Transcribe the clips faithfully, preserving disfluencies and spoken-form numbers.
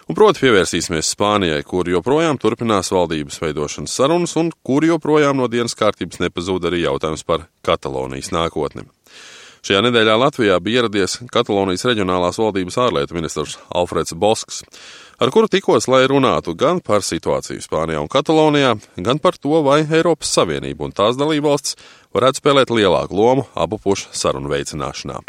Un proti pievērsīsimies Spānijai, kur joprojām turpinās valdības veidošanas sarunas un kur joprojām no dienas kārtības nepazūd arī jautājums par Katalonijas nākotni. Šajā nedēļā Latvijā bija ieradies Katalonijas reģionālās valdības ārlietu ministrs Alfreds Bosks, ar kuru tikos, lai runātu gan par situāciju Spānijā un Katalonijā, gan par to, vai Eiropas Savienība un tās dalībvalstis varētu spēlēt lielāku lomu abu pušu sarunu veicināšanā.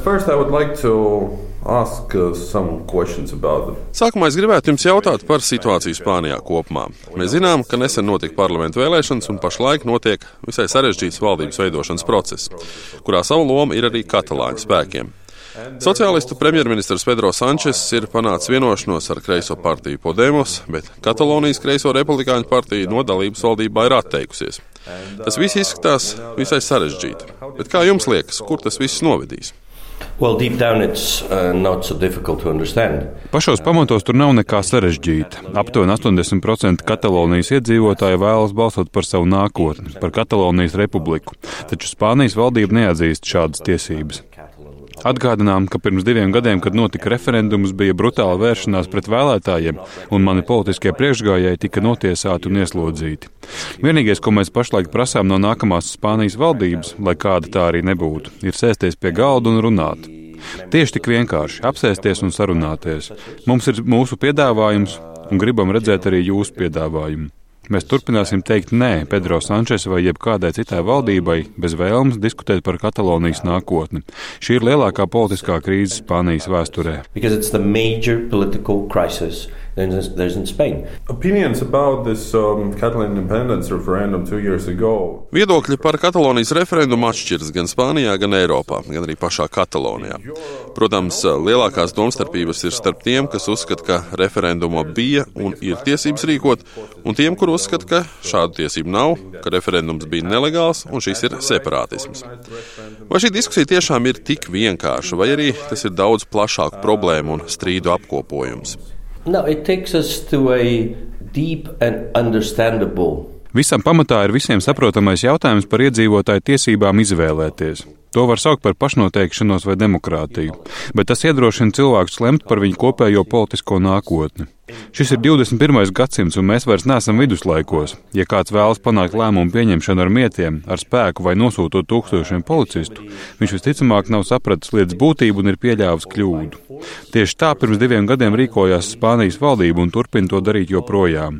First, I would like to ask uh, some questions about them. Sākumā es gribētu jums jautāt par situāciju Spānijā kopumā. Mēs zinām, ka nesen notika parlamentu vēlēšanas un pašlaik notiek visai sarežģīts valdības veidošanas process, kurā savu lomu ir arī katalāņu spēkiem. Sociālistu premjerministrs Pedro Sančes ir panācis vienošanos ar kreiso partiju Podemos, bet Katalonijas kreiso republikāņu partija no dalības valdībā ir atteikusies. Tas viss izskatās visai sarežģīti. Bet kā jums liekas, kur tas viss novedīs? Well, deep down it's uh, not so difficult to understand. Pašos pamatos tur nav nekā sarežģīta. Aptuveni astoņdesmit procenti Katalonijas iedzīvotāji vēlas balsot par savu nākotni, par Katalonijas republiku, taču Spānijas valdība neatzīst šādas tiesības. Atgādinām, ka pirms diviem gadiem, kad notika referendums, bija brutāla vēršanās pret vēlētājiem, un mani politiskie priekšgājēji tika notiesāti un ieslodzīti. Vienīgais, ko mēs pašlaik prasām no nākamās Spānijas valdības, lai kāda tā arī nebūtu, ir sēsties pie galda un runāt. Tieši tik vienkārši apsēsties un sarunāties. Mums ir mūsu piedāvājums, un gribam redzēt arī jūsu piedāvājumu. Mēs turpināsim teikt nē Pedro Sančes vai jebkādai citai valdībai bez vēlmes diskutēt par Katalonijas nākotni. Šī ir lielākā politiskā krīze Spānijas vēsturē. Opinions about this um, Catalan independence referendum two years ago. Viedokļi par Katalonijas referendumu atšķiras gan Spānijā, gan Eiropā, gan arī pašā Katalonijā. Protams, lielākās domstarpības ir starp tiem, kas uzskata, ka referendumu bija un ir tiesības rīkot, un tiem, kur uzskata, ka šādu tiesību nav, ka referendums bija nelegāls un šis ir separātisms. Vai šī diskusija tiešām ir tik vienkārša, vai arī tas ir daudz plašāku problēmu un strīdu apkopojums? No, it takes us to a deep and understandable. Visam pamatā ir visiem saprotamais jautājums par iedzīvotāju tiesībām izvēlēties. To var saukt par pašnoteikšanos vai demokrātiju, bet tas iedrošina cilvēkus lemt par viņu kopējo politisko nākotni. Šis ir divdesmit pirmais gadsimts, un mēs vairs neesam viduslaikos. Ja kāds vēlas panākt lēmumu pieņemšanu ar mietiem, ar spēku vai nosūtot tūkstošiem policistu, viņš visticamāk nav sapratis lietas būtību un ir pieļāvis kļūdu. Tieši tā pirms diviem gadiem rīkojās Spānijas valdība un turpina to darīt joprojām.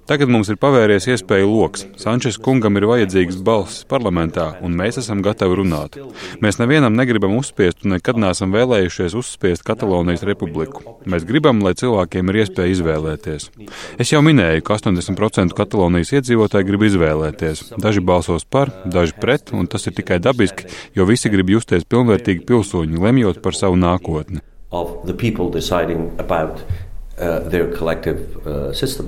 Tagad mums ir pavērties iespēju loks. Sančes kungam ir vajadzīgs balss parlamentā, un mēs esam gatavi runāt. Mēs nevienam negribam uzspiest un nekad neesam vēlējušies uzspiest Katalonijas republiku. Mēs gribam, lai cilvēkiem ir iespēja izvēlēties. Es jau minēju, ka astoņdesmit procenti Katalonijas iedzīvotāji grib izvēlēties. Daži balsos par, daži pret, un tas ir tikai dabiski, jo visi grib justies pilnvērtīgi pilsoņi, lemjot par savu nākotni. Of the people deciding about Uh, their collective uh, system.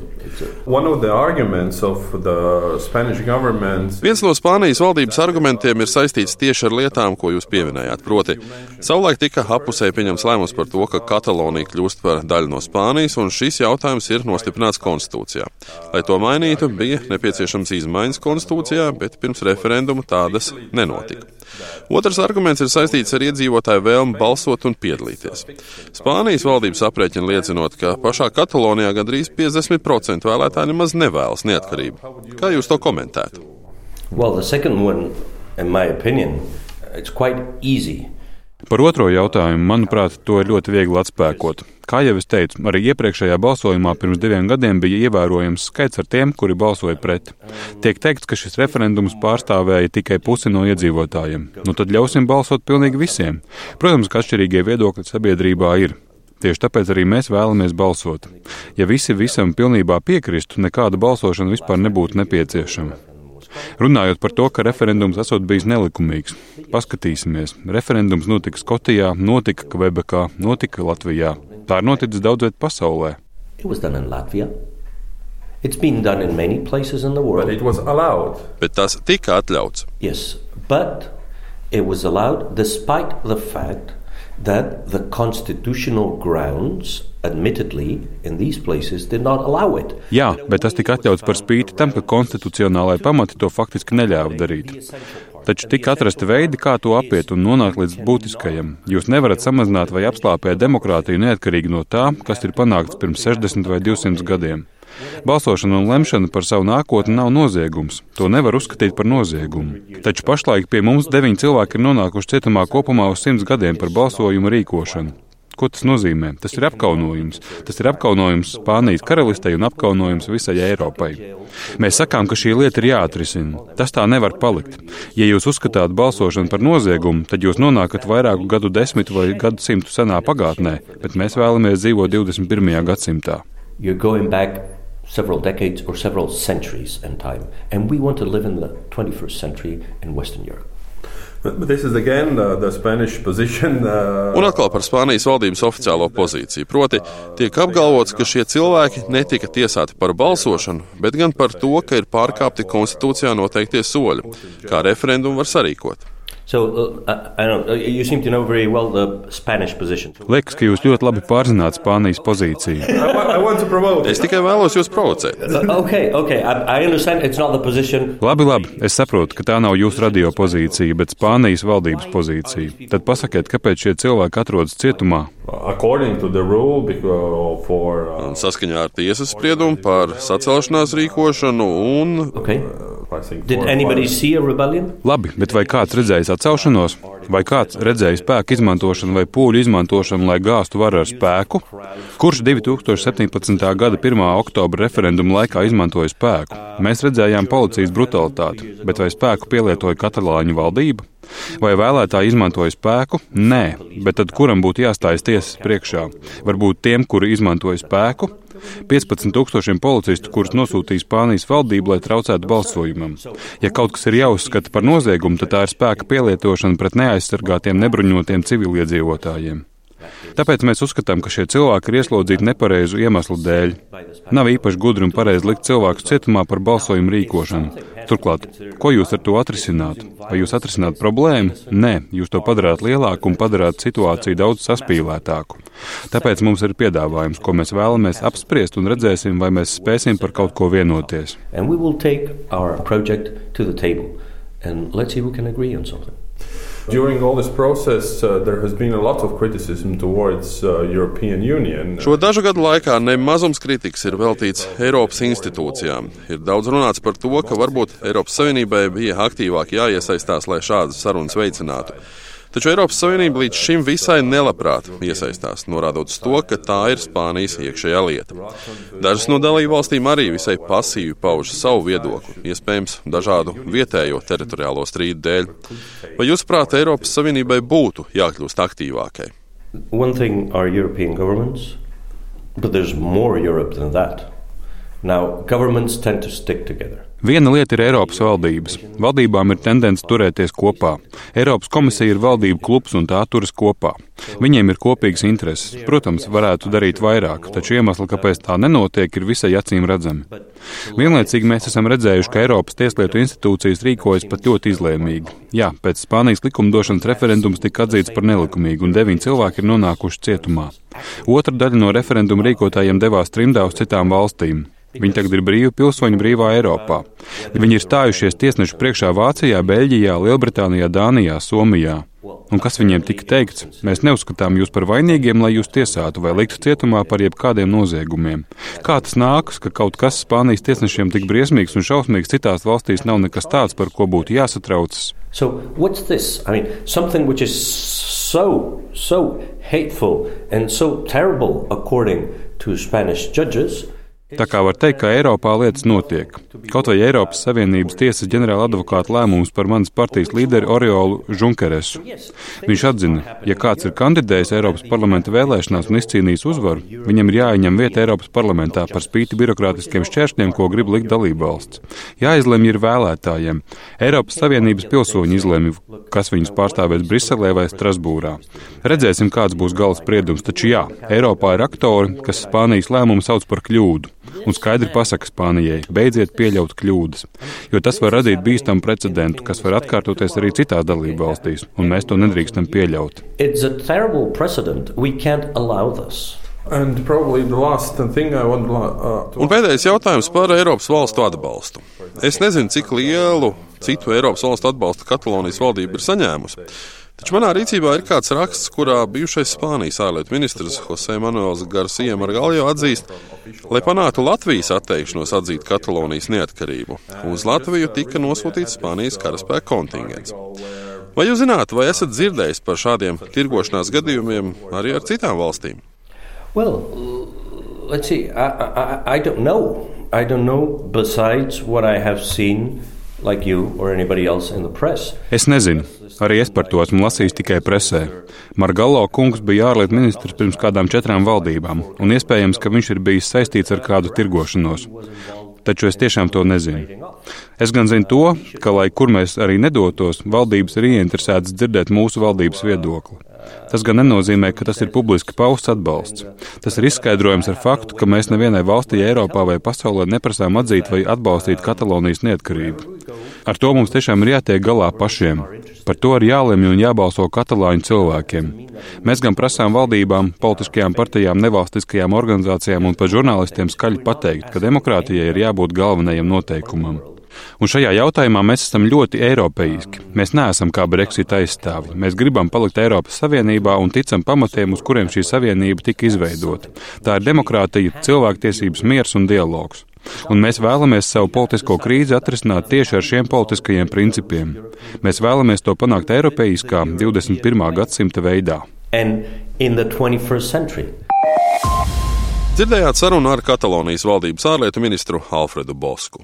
One of the arguments of the Spanish government. Viens no Spānijas valdības argumentiem ir saistīts tieši ar lietām, ko jūs pieminējāt. Proti, savulaik tika apusēji pieņems lēmums par to, ka Katalonija kļūst par daļu no Spānijas, un šis jautājums ir nostiprināts konstitūcijā. Lai to mainītu, bija nepieciešams izmaiņas konstitūcijā, bet pirms referenduma tādas nenotika. Otrs arguments ir saistīts ar iedzīvotāju vēlmi balsot un piedalīties. Spānijas valdības aprēķina liecinot, ka pašā Katalonijā gandrīz piecdesmit procenti vēlētāji nemaz nevēlas neatkarību. Kā jūs to komentētu? Well, the second one, in my opinion, it's quite easy. Par otro jautājumu, manuprāt, to ir ļoti viegli atspēkot. Kā jau es teicu, arī iepriekšējā balsojumā pirms diviem gadiem bija ievērojams skaits ar tiem, kuri balsoja pret. Tiek teikts, ka šis referendums pārstāvēja tikai pusi no iedzīvotājiem. Nu tad ļausim balsot pilnīgi visiem. Protams, ka atšķirīgie viedokļi sabiedrībā ir. Tieši tāpēc arī mēs vēlamies balsot. Ja visi visam pilnībā piekristu, nekāda balsošana vispār nebūtu nepieciešama. Runājot par to, ka referendums esot bijis nelikumīgs. Paskatīsimies. Referendums notika Skotijā, notika Kvebekā, notika Latvijā. Tā ir noticis daudz viet pasaulē. It was done in Latvia. It's been done in many places in the world. But it was allowed. Bet tas tika atļauts. Yes, but it was allowed despite the fact that the constitutional grounds, admittedly, in these places did not allow it. Jā, bet tas tika atļauts par spīti tam, ka konstitucionālai pamati to faktiski neļāva darīt. Taču tika atrasti veidi, kā to apiet un nonākt līdz būtiskajam. Jūs nevarat samazināt vai apslāpēt demokrātiju neatkarīgi no tā, kas ir panākts pirms sešdesmit vai divsimt gadiem. Balsošana un lemšana par savu nākotni nav noziegums. To nevar uzskatīt par noziegumu. Taču pašlaik pie mums deviņi cilvēki ir nonākuši cietumā kopumā uz simts gadiem par balsojumu rīkošanu. Ko tas nozīmē? Tas ir apkaunojums. Tas ir apkaunojums Spānijas karalistei un apkaunojums visai Eiropai. Mēs sakām, ka šī lieta ir jāatrisina. Tas tā nevar palikt. Ja jūs uzskatāt balsošanu par noziegumu, tad jūs nonākat vairāku gadu desmitu vai gadu simtu senā pagātnē, bet mēs vēlamies dzīvot divdesmit pirmajā gadsimtā. You're going back several decades or several centuries in time. And we want to live in the twenty-first century in Western Europe. But this is again uh, the Spanish position. Uh, Un atkal par Spānijas valdības oficiālo pozīciju. Proti, tiek apgalvots, ka šie cilvēki netika tiesāti par balsošanu, bet gan par to, ka ir pārkāpti konstitūcijā noteiktie soļi, kā referendumu var sarīkot. So, uh, I don't know, you seem to know very well the Spanish position. Liekas, ka jūs ļoti labi pārzināt Spānijas pozīciju. I, want, I want to promote. Es tikai vēlos jūs provocēt. Okay, okay, I, I understand it's not the position. Labi, labi, es saprotu, ka tā nav jūsu radio pozīcija, bet Spānijas valdības pozīcija. Tad pasakiet, kāpēc šie cilvēki atrodas cietumā? According to the rule because for uh, Un saskaņā ar tiesas spriedumu par sacelšanās rīkošanu un... Okay. I think Did four, anybody five. see a rebellion? Labi, bet vai kāds redzējis atcelšanos? Vai kāds redzējis spēku izmantošanu vai pūļu izmantošanu, lai gāstu varu ar spēku? Kurš divi tūkstoši septiņpadsmitā gada pirmā oktobra referenduma laikā izmantoja spēku? Mēs redzējām policijas brutalitāti, bet vai spēku pielietoja katalāņu valdība? Vai vēlētāji izmantoja spēku? Nē, bet tad kuram būtu jāstājas tiesas priekšā? Varbūt tiem, kuri izmantoja spēku? piecpadsmit tūkstošiem policistu, kurus nosūtīja Spānijas valdība, lai traucētu balsojumam. Ja kaut kas ir jāuzskata par noziegumu, tad tā ir spēka pielietošana pret neaizsargātiem nebruņotiem civiliedzīvotājiem. Tāpēc mēs uzskatām, ka šie cilvēki ir ieslodzīti nepareizu iemeslu dēļ. Nav īpaši gudri un pareizi likt cilvēkus cietumā par balsojumu rīkošanu. Turklāt, ko jūs ar to atrisinātu? Vai jūs atrisināt problēmu? Nē, jūs to padarāt lielāku un padarāt situāciju daudz saspīlētāku. Tāpēc mums ir piedāvājums, ko mēs vēlamies apspriest un redzēsim, vai mēs spēsim par kaut ko vienoties. And we will take our project to the table and let's see if we can agree on something. During all this process, uh, there has been a lot of criticism towards uh, European Union. Šo dažu gadu laikā nemazums kritikas ir veltīts Eiropas institūcijām. Ir daudz runāts par to, ka varbūt Eiropas Savienībai bija aktīvāk jāiesaistās, lai šādas sarunas veicinātu. Taču Eiropas Savienība līdz šim visai nelabprāt iesaistās, norādot uz to, ka tā ir Spānijas iekšējā lieta. Dažas no dalībvalstīm arī visai pasīvi pauž savu viedokli, iespējams dažādu vietējo teritoriālo strīdu dēļ. Vai jūsuprāt, Eiropas Savienībai būtu jākļūst aktīvākai? One thing are European governments, but there's more Europe than that. Now, governments tend to stick together. Viena lieta ir Eiropas valdības. Valdībām ir tendence turēties kopā. Eiropas komisija ir valdību klubs un tā turas kopā. Viņiem ir kopīgas intereses. Protams, varētu darīt vairāk, taču iemesli, kāpēc tā nenotiek, ir visai acīm redzami. Vienlaicīgi mēs esam redzējuši, ka Eiropas tieslietu institūcijas rīkojas pat ļoti izlēmīgi. Jā, pēc Spānijas likumdošanas referendums tika atzīts par nelikumīgu un deviņi cilvēki ir nonākuši cietumā. Otra daļa no referenduma rīkotājiem devās trimdā uz citām valstīm. Viņi tagad ir brīvi pilsoņi brīvā Eiropā. Viņi ir stājušies tiesnešu priekšā Vācijā, Beļģijā, Lielbritānijā, Dānijā, Somijā. Un kas viņiem tika teikts? Mēs neuzskatām jūs par vainīgiem, lai jūs tiesātu vai liktu cietumā par jebkādiem noziegumiem. Kā tas nākas, ka kaut kas Spānijas tiesnešiem tik briesmīgs un šausmīgs citās valstīs nav nekas tāds, par ko būtu jāsatraucas? So what's this? I mean, something which is so, so hateful and so terrible according to Spanish judges. Tā kā var teikt, ka Eiropā lietas notiek. Kaut vai Eiropas Savienības tiesas ģenerāla advokāta lēmums par manas partijas līderi Oriolu Junkeresu. Viņš atzina, ja kāds ir kandidējis Eiropas parlamenta vēlēšanās un izcīnījis uzvaru, viņam ir jāieņem vieta Eiropas parlamentā par spīti birokrātiskiem šķēršļiem, ko grib likt dalībvalsts. Jāizlemj ir vēlētājiem. Eiropas Savienības pilsoņi izlemj, kas viņus pārstāvēs Briselē vai Strasbūrā. Redzēsim, kāds būs gala spriedums, taču jā, Eiropā ir aktori, kas Spānijas lēmumu sauc par kļūdu. Un skaidri pasaka Spānijai, beidziet pieļaut kļūdas, jo tas var radīt bīstamu precedentu, kas var atkārtoties arī citās dalību valstīs, un mēs to nedrīkstam pieļaut. It's a terrible precedent. We can't allow this. And probably the last thing I want uh, to... Un pēdējais jautājums par Eiropas valstu atbalstu. Es nezinu, cik lielu citu Eiropas valstu atbalstu Katalonijas valdība ir saņēmusi. Taču manā rīcībā ir kāds raksts, kurā bijušais Spānijas ārlietu ministrs José Manuels García Margallo atzīst, lai panāktu Latvijas atteikšanos atzīt Katalonijas neatkarību. Uz Latviju tika nosūtīts Spānijas karaspēka kontingents. Vai jūs zināt, vai esat dzirdējis par šādiem tirgošanās gadījumiem arī ar citām valstīm? Well, let's see. I, I, I don't know. I don't know besides what I have seen, like you or anybody else in the press. Es nezinu. Arī es par to esmu lasījis tikai presē. Margallo kungs bija ārlietu ministrs pirms kādām četrām valdībām, un iespējams, ka viņš ir bijis saistīts ar kādu tirgošanos. Taču es tiešām to nezinu. Es gan zinu to, ka, lai kur mēs arī nedotos, valdības ir ieinteresētas dzirdēt mūsu valdības viedokli. Tas gan nenozīmē, ka tas ir publiski pausts atbalsts. Tas ir izskaidrojams ar faktu, ka mēs nevienai valstī Eiropā vai pasaulē neprasām atzīt vai atbalstīt Katalonijas neatkarību. Ar to mums tiešām ir jātiek galā pašiem. Par to ir jālemj un jābalso katalāņu cilvēkiem. Mēs gan prasām valdībām, politiskajām partijām, nevalstiskajām organizācijām un pat žurnālistiem skaļi pateikt, ka demokrātijai ir jābūt galvenajam noteikumam. Un šajā jautājumā mēs esam ļoti eiropeiski. Mēs neesam kā Brexit aizstāvji. Mēs gribam palikt Eiropas Savienībā un ticam pamatiem, uz kuriem šī savienība tika izveidota. Tā ir demokrātija, cilvēktiesības, miers un dialogs. Un mēs vēlamies savu politisko krīzi atrisināt tieši ar šiem politiskajiem principiem. Mēs vēlamies to panākt eiropeiskā divdesmit pirmā gadsimta veidā. Dzirdējāt sarunu ar Katalonijas valdības ārlietu ministru Alfredu Bosku.